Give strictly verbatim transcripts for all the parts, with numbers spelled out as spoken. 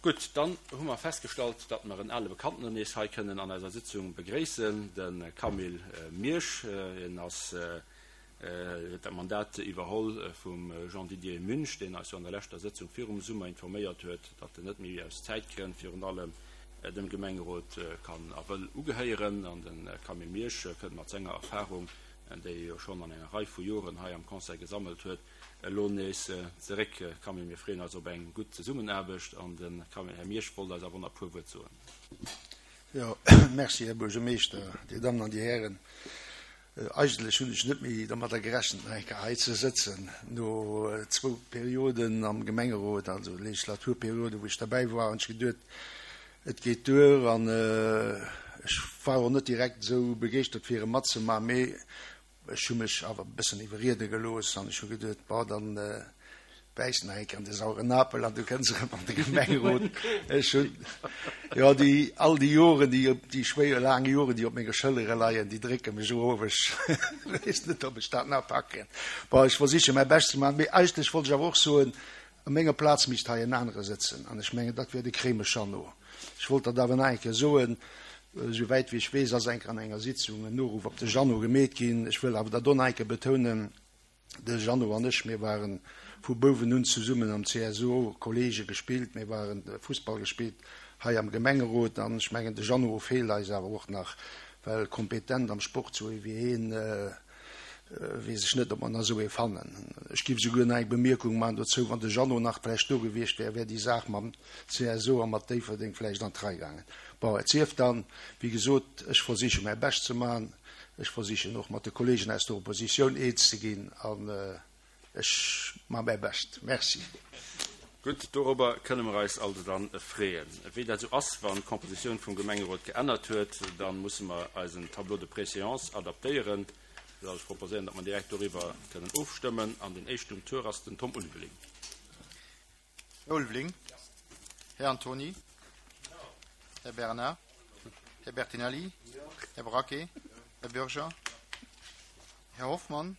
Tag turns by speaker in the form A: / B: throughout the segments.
A: Gutt, dann hu mer festgestallt, datt mer en ale Bekannten nees hei kënnen an eiser Sitzung begréissen, de Camille Miersch. Hien ass, huet dat Mandat iwwerholl vum Jean-Didier Münch, deen eis jo an der leschter Sëtzung virum Summer informéiert huet, datt en net méi aus Zäitgrënn virun allem dem Gemengerot kann a wëll ugehéieren. An de Camille Miersch kënnt mat senger Erfahrung, déi e jo schonn an enger Rei vu Joren hei am Conseil gesammelt huet, elo nees zeréck. Camille, mir freeën eis op eng gutt Zesummenaarbecht an de Här Miersch wollt eis awer nach e puer Wuert soen.
B: Jo, merci, Här Buergermeeschter, Dir Dammen an Dir Hären. Eigentlech hunn ech net méi dermadder gerechent, nach eng Kéier hei ze sëtzen, no zwou Perioden am Gemengerot, also Legislaturperioden, wou ech derbäi war, hunn ech geduet, et geet duer. An ech war och net direkt esou begeeschtert, fir erëm matzemaachen, mee ech hu mech awer e bëssen iwwerriede gelooss an ech hu geduet, bon, dann bäiss nach eng Kéier an de sauren Apel an du kënns erëm an de Gemengerot. Ech hunn, jo, déi, all déi Joren, déi, déi schwéier laang Joren, déi op menge Schëllere leien, déi drécke mech erof. Ech weess net, ob ech dat nach packen. Bon, ech versiche mäi Bescht ze maachen. Mee eigentlech wollt ech awer och soen, a menger Plaz misst hei en anere sëtzen an ech mengen, dat wär de Kremes Jeannot. Ech wollt dat awer nach eng Kéier soen. Esou wäit wéi ech weess, ass eng Kéier an enger Sitzung en Noruff op de Jeannot gemeet ginn. Ech wëll awer dat och nach eng Kéier betounen, De Jeannot an ech, mir ware vu Bouwen un zesummen am C S O, Kollege gespillt, mir waren Fussball gespillt hei am Gemengerot an ech mengen, de Jeannot feelt eis awer och nach, well kompetent am Sport sou ee wéi heen, weess ech net, ob mer nach esou ee fannen. Ech giff esouguer nach eng Bemierkung maachen dozou, wann de Jeannot nach vläicht do gewiescht wär, wär déi Saach mam C S O a mat Déifferdeng vläicht an d'Rei gaangen. Bon, et sief dann, wéi gesot, ech versiche mäi Bescht ze maachen. Ech versichen och mat de Kollegen aus der Oppositioun eens ze ginn an ech maache mäi Bescht. Merci.
A: Gutt, dorobber kënne mer eis also dann freeën. Wéi dat esou ass, wann d'Compositioun vum Gemengerot geännert huet, da musse mer eisen Tableau de préséance adaptéieren. Ech proposéieren, datt mer direkt doriwwer kënnen ofstëmmen. An den éischten um Tour ass den Tom Ulveling.
C: Här Ulveling. Här Antoni. Här Bernard. Här Bertinelli. Här Braquet. Här Bürger. Här Hoffmann.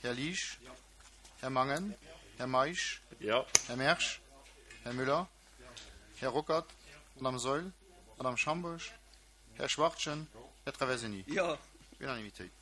C: Här Liesch. Här Mangen. Här Meisch. Här Mersch. Här Müller. Här Ruckert. Madame Saeul. Madame Schambourg. Här Schwachtgen. Här Traversini. Unanimitéit.